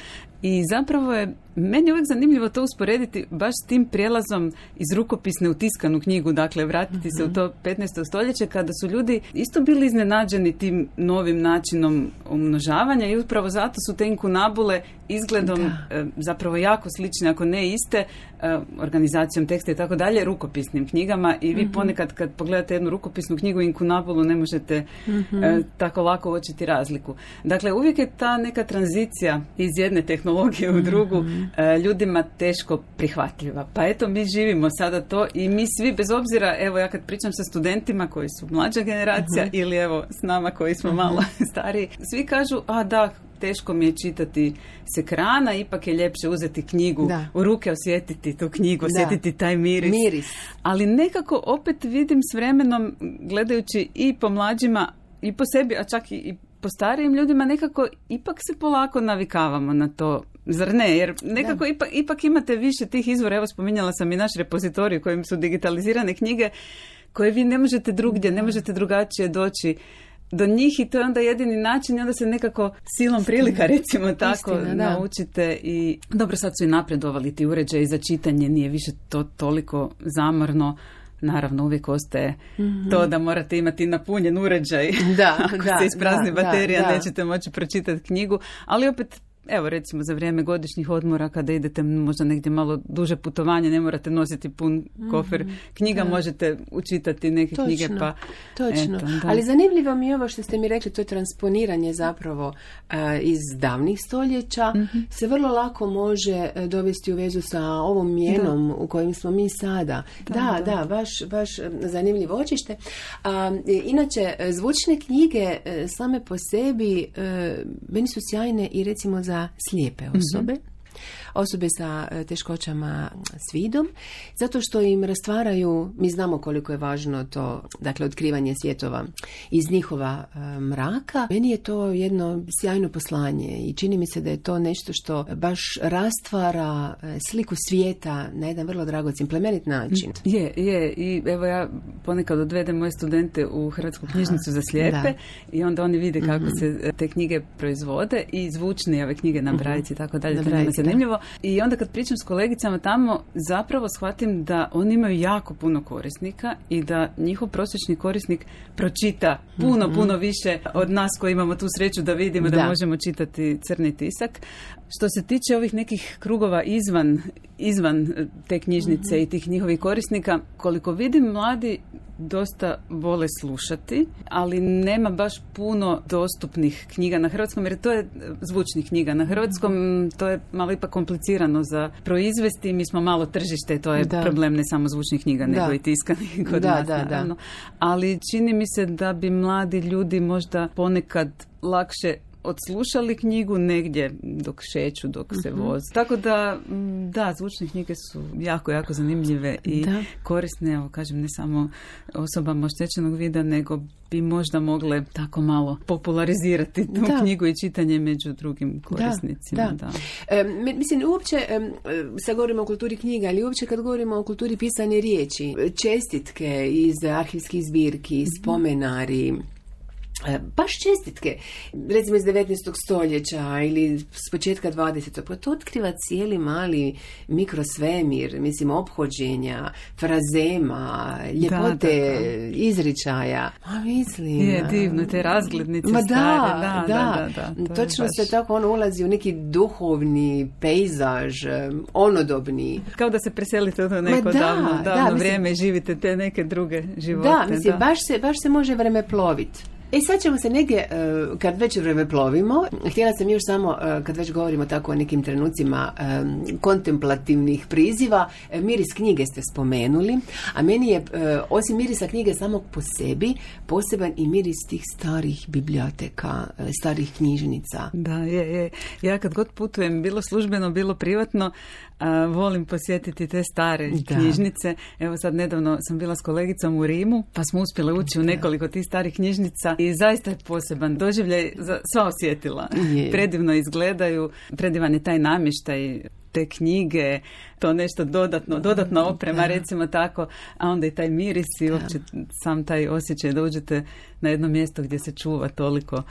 I zapravo je meni uvijek zanimljivo to usporediti baš s tim prijelazom iz rukopisne u tiskanu knjigu, dakle vratiti mm-hmm. se u to petnaesto stoljeće kada su ljudi isto bili iznenađeni tim novim načinom umnožavanja i upravo zato su te inkunabule izgledom e, zapravo jako slične, ako ne iste, e, organizacijom teksta i tako dalje, rukopisnim knjigama i vi mm-hmm. ponekad kad pogledate jednu rukopisnu knjigu inkunabulu ne možete mm-hmm. e, tako lako uočiti razliku. Dakle, uvijek je ta neka tranzicija iz jedne tehnologije u drugu mm-hmm. ljudima teško prihvatljiva. Pa eto, mi živimo sada to i mi svi, bez obzira, evo ja kad pričam sa studentima koji su mlađa generacija uh-huh. ili evo s nama koji smo uh-huh. malo stariji, svi kažu, a da, teško mi je čitati s ekrana, ipak je ljepše uzeti knjigu da. u ruke, osjetiti tu knjigu, osjetiti da. taj miris. miris. Ali nekako opet vidim s vremenom, gledajući i po mlađima i po sebi, a čak i, i po starijim ljudima, nekako ipak se polako navikavamo na to. Zar ne? Jer nekako ipak, ipak imate više tih izvora. Evo, spominjala sam i naš repozitorij u kojem su digitalizirane knjige koje vi ne možete drugdje, ne možete drugačije doći do njih i to je onda jedini način i onda se nekako silom prilika, recimo tako, Istina, naučite i dobro, sad su i napredovali ti uređaji za čitanje, nije više to toliko zamorno. Naravno, uvijek ostaje mm-hmm. to da morate imati napunjen uređaj. Da, Ako da, se isprazni da, baterija, da, nećete moći pročitati knjigu, ali opet evo recimo za vrijeme godišnjih odmora kada idete možda negdje malo duže putovanje, ne morate nositi pun kofer knjiga, da. možete učitati neke točno, knjige. Pa, točno, eto, ali zanimljivo mi je ovo što ste mi rekli, to je transponiranje zapravo uh, iz davnih stoljeća, mm-hmm. se vrlo lako može dovesti u vezu sa ovom mjenom da. u kojim smo mi sada. Da, da, da, da baš, baš zanimljivo očište. Uh, inače, zvučne knjige uh, same po sebi uh, meni su sjajne i recimo za slijepe osobe, mm-hmm. osobe sa teškoćama s vidom, zato što im rastvaraju, mi znamo koliko je važno to, dakle, otkrivanje svjetova iz njihova e, mraka. Meni je to jedno sjajno poslanje i čini mi se da je to nešto što baš rastvara e, sliku svijeta na jedan vrlo dragocjen, plemenit način. Je, je, i evo ja ponekad odvedem moje studente u Hrvatsku knjižnicu za slijepe da. i onda oni vide kako mm-hmm. se te knjige proizvode i zvučne ove knjige na brajici i tako dalje, to je zanimljivo. I onda kad pričam s kolegicama tamo, zapravo shvatim da oni imaju jako puno korisnika i da njihov prosječni korisnik pročita puno, mm-hmm. puno više od nas koji imamo tu sreću da vidimo da, da možemo čitati crni tisak. Što se tiče ovih nekih krugova izvan, izvan te knjižnice mm-hmm. i tih njihovih korisnika, koliko vidim, mladi dosta vole slušati, ali nema baš puno dostupnih knjiga na hrvatskom, jer to je zvučnih knjiga na hrvatskom, to je malo ipak komplicirano za proizvesti, mi smo malo tržište, to je da. problem ne samo zvučnih knjiga, da. nego i tiskanih kod da, nas, da, naravno. Da. Ali čini mi se da bi mladi ljudi možda ponekad lakše odslušali knjigu negdje dok šeću, dok se uh-huh. vozi. Tako da, da, zvučne knjige su jako, jako zanimljive i da. korisne, evo kažem, ne samo osobama oštećenog vida, nego bi možda mogle tako malo popularizirati tu da. knjigu i čitanje među drugim korisnicima. Da, da. Da. E, mislim, uopće, e, sad govorimo o kulturi knjiga, ali uopće kad govorimo o kulturi pisane riječi, čestitke iz arhivskih zbirki, spomenari, baš čestitke, recimo iz devetnaestog stoljeća ili s početka dvadesetog Pa to otkriva cijeli mali mikrosvemir, mislim, ophođenja, frazema, ljepote, da, da, da. izričaja. A mislim... Je divno, te razglednice ma stare. Da, da, da. da, da, da točno baš... se tako ono ulazi u neki duhovni pejzaž, onodobni. Kao da se preselite u to neko ma da, davno, davno da, vrijeme mislim, i živite te neke druge živote. Da, mislim, da. Baš, se, baš se može vreme ploviti. E sad ćemo se negdje, kad već vreme plovimo, htjela sam još samo, kad već govorimo tako o nekim trenucima kontemplativnih priziva, miris knjige ste spomenuli, a meni je, osim mirisa knjige samog po sebi, poseban i miris tih starih biblioteka, starih knjižnica. Da, je, je. Ja kad god putujem, bilo službeno, bilo privatno, a, volim posjetiti te stare da. knjižnice. Evo sad nedavno sam bila s kolegicom u Rimu, pa smo uspjele ući u nekoliko tih starih knjižnica i zaista je poseban doživljaj za sva osjetila. Je. Predivno izgledaju, predivan je taj namještaj, te knjige, to nešto dodatno, dodatna oprema, da. recimo tako, a onda i taj miris i uopće sam taj osjećaj da uđete na jedno mjesto gdje se čuva toliko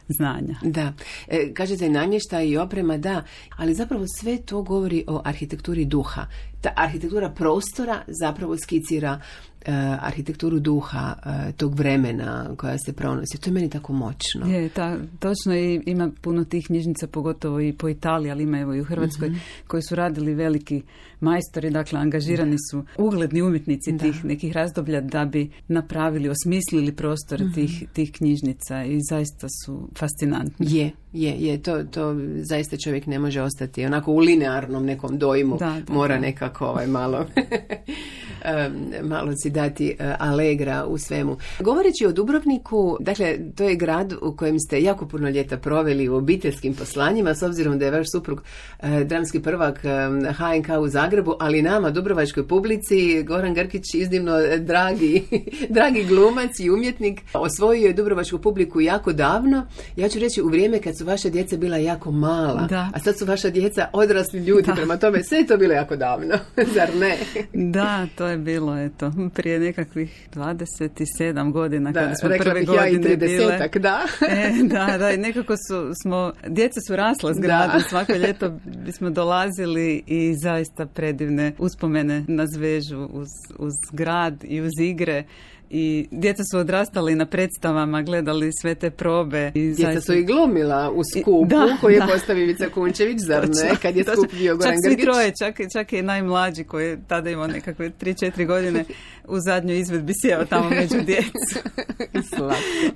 znanja. Da. E, kažete namještaj i oprema, da, ali zapravo sve to govori o arhitekturi duha. Ta arhitektura prostora zapravo skicira Uh, arhitekturu duha uh, tog vremena koja se pronosi. To je meni tako moćno. Je, ta, točno, i ima puno tih knjižnica, pogotovo i po Italiji, ali ima evo i u Hrvatskoj, mm-hmm. koji su radili veliki majstori, dakle angažirani su ugledni umjetnici da. tih nekih razdoblja da bi napravili, osmislili prostor mm-hmm. tih, tih knjižnica i zaista su fascinantni. Je, je, je. To, to zaista čovjek ne može ostati onako u linearnom nekom dojmu. Da, da, Mora da. nekako ovaj malo um, malo si dati uh, alegra u svemu. Govoreći o Dubrovniku, dakle, to je grad u kojem ste jako puno ljeta proveli u obiteljskim poslanjima, s obzirom da je vaš suprug uh, dramski prvak um, ha en ka u Zagrebu, ali nama, dubrovačkoj publici, Goran Grkić, iznimno dragi, dragi glumac i umjetnik, osvojio je dubrovačku publiku jako davno. Ja ću reći u vrijeme kad su vaša djeca bila jako mala, da. a sad su vaša djeca odrasli ljudi, da. prema tome sve je to bilo jako davno, zar ne? Da, to je bilo, eto, prije nekakvih dvadeset sedam godina, da, kada smo prve godine ja bile. Da. E, da, da, i nekako su, smo, djeca su rasla s gradom, svako ljeto bismo dolazili i zaista predivne uspomene nas vežu uz, uz grad i uz igre. I djeca su odrastali na predstavama, gledali sve te probe. I djeca zaista... su i glumila u skupu da, koju je da. postavio Ivica Kunčević, zar ne? Kad je skup bio Goran Grgić. Čak svi troje, čak, čak i najmlađi koji je tada imao nekakve tri četiri godine u zadnjoj izvedbi sjeo tamo među djecu.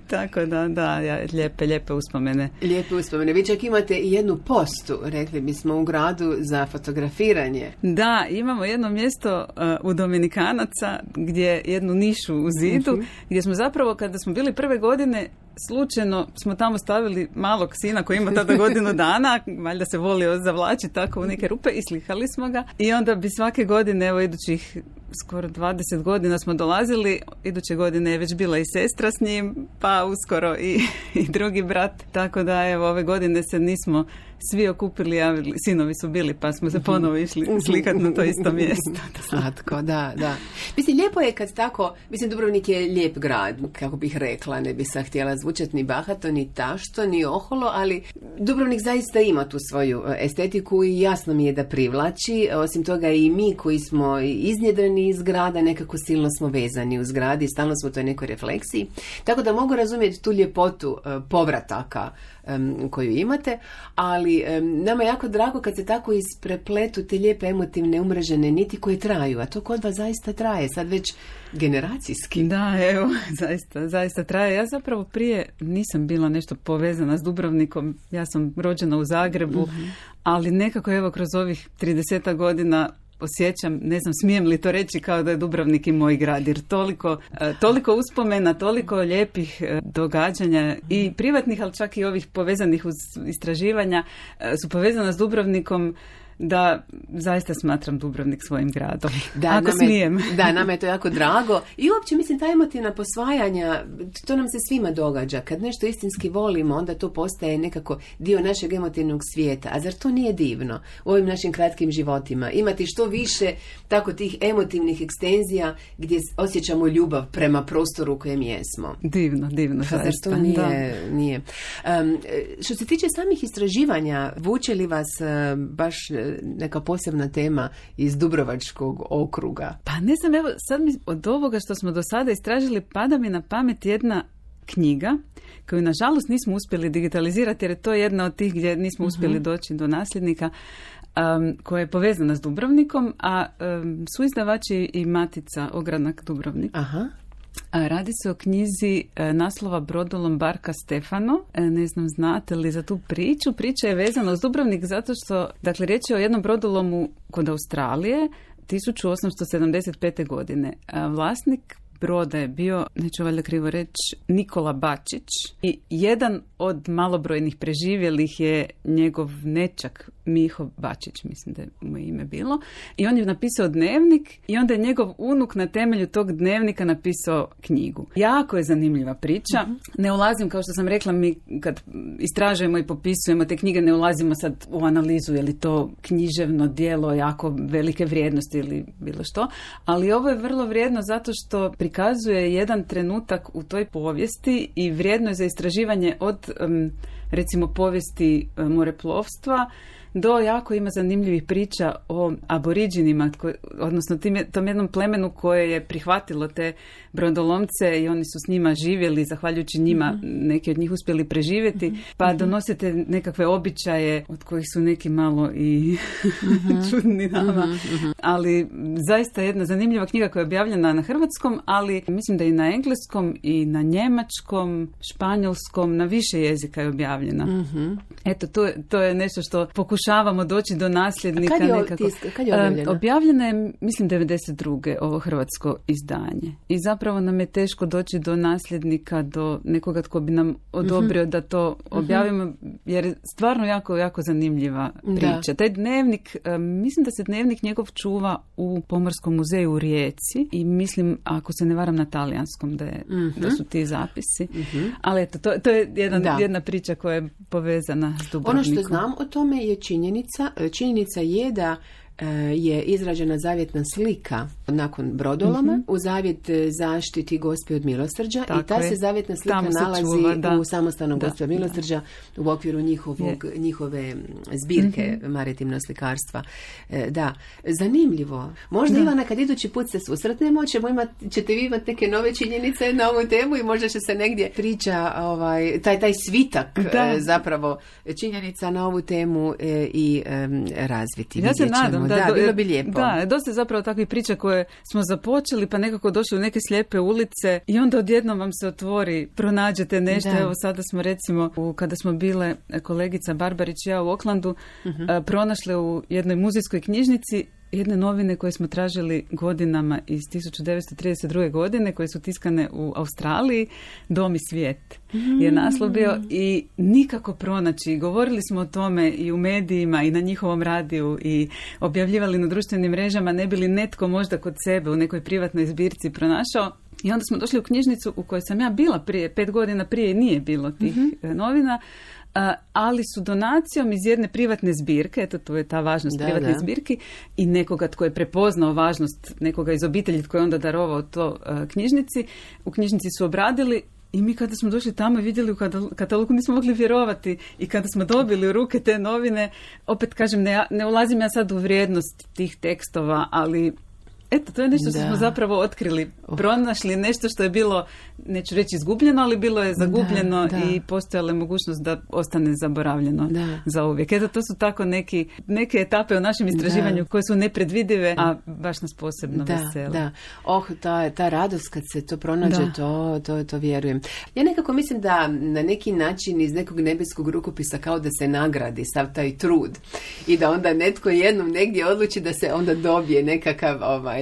Tako da, da, ja, lijepe, lijepe uspomene. Lijepe uspomene. Vi čak imate i jednu postu, rekli bismo, u gradu za fotografiranje. Da, imamo jedno mjesto uh, u Dominikanaca gdje jednu nišu u zidu, uh-huh. gdje smo zapravo, kada smo bili prve godine, slučajno smo tamo stavili malog sina koji ima tada godinu dana, valjda se volio zavlačiti tako u neke rupe i slikali smo ga. I onda bi svake godine, evo idućih skoro dvadeset godina smo dolazili, iduće godine je već bila i sestra s njim, pa uskoro i, i drugi brat. Tako da evo ove godine se nismo svi okupili, a sinovi su bili, pa smo se ponovo išli slikati na to isto mjesto. Slatko, da, da. Mislim, lijepo je kad tako, mislim, Dubrovnik je lijep grad, kako bih rekla, ne bi sam htjela zvučati ni bahato, ni tašto, ni oholo, ali Dubrovnik zaista ima tu svoju estetiku i jasno mi je da privlači. Osim toga i mi koji smo iznjedreni iz grada, nekako silno smo vezani uz grad i stalno smo u toj nekoj refleksiji. Tako da mogu razumjeti tu ljepotu uh, povrataka um, koju imate, ali um, nama je jako drago kad se tako isprepletu te lijepe emotivne umrežene niti koje traju, a to kod vas zaista traje, sad već generacijski. Da, evo, zaista, zaista traje. Ja zapravo prije nisam bila nešto povezana s Dubrovnikom, ja sam rođena u Zagrebu, mm-hmm. ali nekako evo kroz ovih trideset godina osjećam, ne znam, smijem li to reći, kao da je Dubrovnik i moj grad, jer toliko, toliko uspomena, toliko lijepih događanja i privatnih, ali čak i ovih povezanih uz istraživanja su povezana s Dubrovnikom, da zaista smatram Dubrovnik svojim gradom. Da, ako nama smijem. Je, da, nama je to jako drago. I uopće, mislim, ta emotivna posvajanja, to nam se svima događa. Kad nešto istinski volimo, onda to postaje nekako dio našeg emotivnog svijeta. A zar to nije divno u ovim našim kratkim životima? Imati što više tako tih emotivnih ekstenzija gdje osjećamo ljubav prema prostoru u kojem jesmo. Divno, divno. Pa zar to nije? Da. nije. Um, što se tiče samih istraživanja, vuče li vas uh, baš neka posebna tema iz Dubrovačkog okruga? Pa ne znam, evo sad mi od ovoga što smo do sada istražili pada mi na pamet jedna knjiga koju nažalost nismo uspjeli digitalizirati, jer je to jedna od tih gdje nismo uspjeli uh-huh. doći do nasljednika, um, koja je povezana s Dubrovnikom, a um, su izdavači i Matica Ogranak Dubrovnik. Aha. A radi se o knjizi e, naslova Brodolom Barka Stefano. E, ne znam, znate li za tu priču? Priča je vezana uz Dubrovnik zato što, dakle, riječ je o jednom brodolomu kod Australije tisuću osamsto sedamdeset pete. godine. A vlasnik broda je bio, neću valjda krivo reći, Nikola Bačić i jedan od malobrojnih preživjelih je njegov nečak Miho Bačić, mislim da je mu ime bilo. I on je napisao dnevnik i onda je njegov unuk na temelju tog dnevnika napisao knjigu. Jako je zanimljiva priča. Mm-hmm. Ne ulazim, kao što sam rekla, mi kad istražujemo i popisujemo te knjige, ne ulazimo sad u analizu je li to književno djelo jako velike vrijednosti ili bilo što, ali ovo je vrlo vrijedno zato što prikazuje jedan trenutak u toj povijesti i vrijedno je za istraživanje od um, recimo povijesti um, moreplovstva do jako ima zanimljivih priča o aboriđinima, odnosno tim, tom jednom plemenu koje je prihvatilo te brodolomce i oni su s njima živjeli, zahvaljujući njima mm-hmm. neki od njih uspjeli preživjeti, mm-hmm. pa donosite nekakve običaje od kojih su neki malo i mm-hmm. čudni nama. Mm-hmm. Ali zaista jedna zanimljiva knjiga koja je objavljena na hrvatskom, ali mislim da i na engleskom i na njemačkom, španjolskom, na više jezika je objavljena. Mm-hmm. Eto, to je, to je nešto što pokušavamo doći do nasljednika. A kad je, nekako. Tisk, kad je objavljena? Objavljena je, mislim, devedeset druge ovo hrvatsko izdanje. I zapravo nam je teško doći do nasljednika, do nekoga tko bi nam odobrio mm-hmm. da to objavimo, mm-hmm. jer je stvarno jako, jako zanimljiva priča. Da. Taj dnevnik, mislim da se dnevnik njegov čuva u Pomorskom muzeju u Rijeci i mislim, ako se ne varam, na talijanskom da, je, mm-hmm. da su ti zapisi. Mm-hmm. Ali eto, to, to je jedna, jedna priča koja je povezana s Dubrovnikom. Ono što znam o tome je činjenica. Činjenica je da je izrađena zavjetna slika nakon brodoloma mm-hmm. u zavjet zaštiti Gospe od milosrđa. Tako i ta je. Se zavjetna slika se nalazi čuva, u samostanom Gospe od milosrđa da. U okviru njihovog, njihove zbirke mm-hmm. maritimnog slikarstva. Da, zanimljivo. Možda da. Ivana, kad idući put se susretnemo, ćemo imati, ćete vi imati neke nove činjenice na ovu temu i možda će se negdje priča ovaj, taj, taj svitak da. Zapravo činjenica na ovu temu i um, razviti. Ja se nadam. Da, da, bilo bi lijepo. Da, dosta je zapravo takvih priča koje smo započeli, pa nekako došli u neke slijepe ulice i onda odjednom vam se otvori, pronađete nešto. Da. Evo sada smo recimo, u, kada smo bile kolegica Barbarić i ja u Oklandu, uh-huh. a, pronašle u jednoj muzejskoj knjižnici jedne novine koje smo tražili godinama iz tisuću devetsto trideset druge. godine, koje su tiskane u Australiji, Dom i svijet mm. je naslov bio i nikako pronaći. Govorili smo o tome i u medijima i na njihovom radiju i objavljivali na društvenim mrežama, ne bi li netko možda kod sebe u nekoj privatnoj zbirci pronašao. I onda smo došli u knjižnicu u kojoj sam ja bila prije, pet godina prije nije bilo tih mm-hmm. novina, Uh, ali su donacijom iz jedne privatne zbirke, eto tu je ta važnost da, privatne da. zbirki, i nekoga tko je prepoznao važnost nekoga iz obitelji tko je onda darovao to uh, knjižnici, u knjižnici su obradili. I mi kada smo došli tamo i vidjeli u katalogu, nismo mogli vjerovati. I kada smo dobili u ruke te novine, opet kažem, ne, ne ulazim ja sad u vrijednost tih tekstova, ali eto, to je nešto što da. smo zapravo otkrili, pronašli nešto što je bilo, neću reći izgubljeno, ali bilo je zagubljeno da, da. i postojala je mogućnost da ostane zaboravljeno da. za uvijek. Eto, to su tako neki, neke etape u našem istraživanju da. koje su nepredvidive, a baš nas posebno da, vesele. Da. Oh, ta, ta radost kad se to pronađe, to, to, to vjerujem. Ja nekako mislim da na neki način iz nekog nebeskog rukopisa kao da se nagradi sav taj trud i da onda netko jednom negdje odluči da se onda dobije nekakav ovaj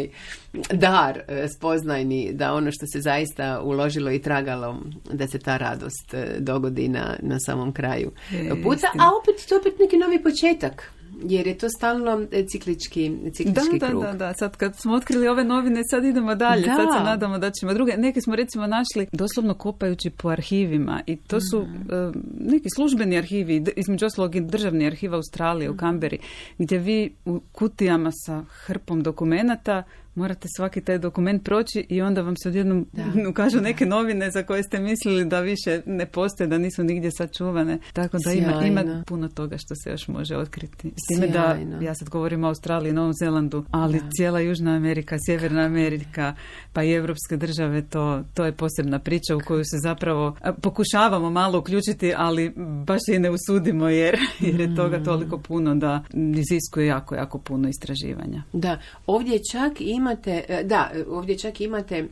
dar spoznajni, da ono što se zaista uložilo i tragalo, da se ta radost dogodi na, na samom kraju puta, a opet to opet neki novi početak. Jer je to stalno ciklički, ciklički da, krug. Da, da, da. Sad kad smo otkrili ove novine, sad idemo dalje. Da. Sad se nadamo da ćemo druge. Neke smo recimo našli doslovno kopajući po arhivima. I to su mm. uh, neki službeni arhivi, između ostalog i državni arhiv Australije mm. u Kamberi, gdje vi u kutijama sa hrpom dokumenata morate svaki taj dokument proći i onda vam se odjednom da. ukažu neke novine za koje ste mislili da više ne postoje, da nisu nigdje sačuvane. Tako da ima, ima puno toga što se još može otkriti. S time da, ja sad govorim o Australiji, Novom Zelandu, ali da. cijela Južna Amerika, Sjeverna Amerika, pa i evropske države, to, to je posebna priča u koju se zapravo pokušavamo malo uključiti, ali baš i ne usudimo jer, jer je toga toliko puno da iziskuje jako, jako puno istraživanja. Da, ovdje čak ima Imate, da, ovdje čak imate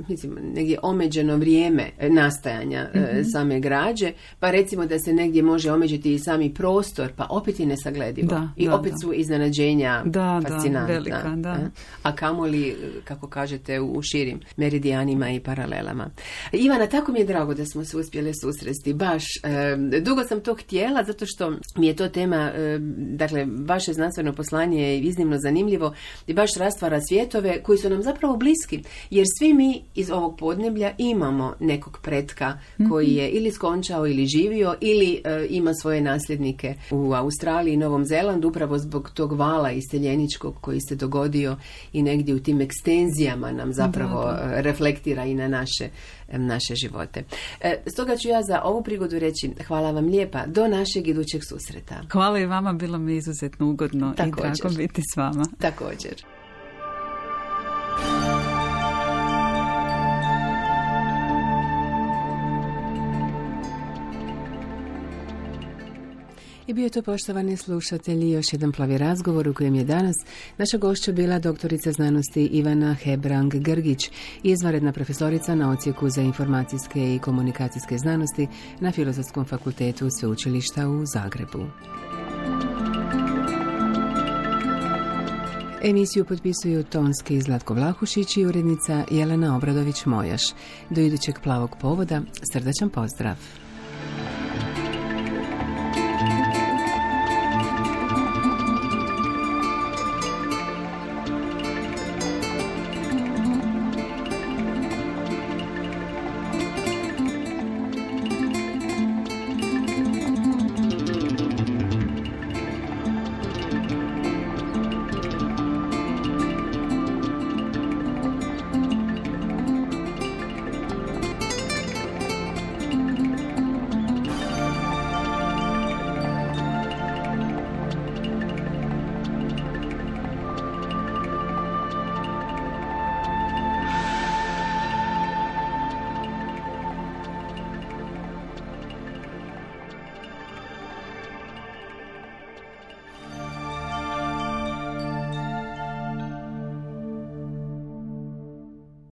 mislim, negdje omeđeno vrijeme nastajanja mm-hmm. same građe, pa recimo da se negdje može omeđiti i sami prostor, pa opet je nesagledivo. Da, I da, opet da. su iznenađenja da, fascinantna. Da, velika, da. A kamoli, kako kažete, u širim meridijanima i paralelama. Ivana, tako mi je drago da smo se uspjeli susresti. Baš, e, dugo sam to htjela, zato što mi je to tema, e, dakle, vaše znanstveno poslanje je iznimno zanimljivo i baš rastvara svjetove koji su nam zapravo bliski, jer svi mi iz ovog podneblja imamo nekog pretka koji je ili skončao ili živio ili e, ima svoje nasljednike u Australiji i Novom Zelandu, upravo zbog tog vala iseljeničkog koji se dogodio i negdje u tim ekstenzijama nam zapravo da, da. reflektira i na naše, naše živote. E, stoga ću ja za ovu prigodu reći hvala vam lijepa, do našeg idućeg susreta. Hvala i vama, bilo mi izuzetno ugodno Također. i drago biti s vama. Također. I bio je to, poštovani slušatelji, još jedan plavi razgovor u kojem je danas naša gošća bila doktorica znanosti Ivana Hebrang-Grgić, izvanredna profesorica na Odsjeku za informacijske i komunikacijske znanosti na Filozofskom fakultetu Sveučilišta u Zagrebu. Emisiju potpisuju tonski Zlatko Vlahušić i urednica Jelena Obradović-Mojaš. Do idućeg plavog povoda, srdačan pozdrav.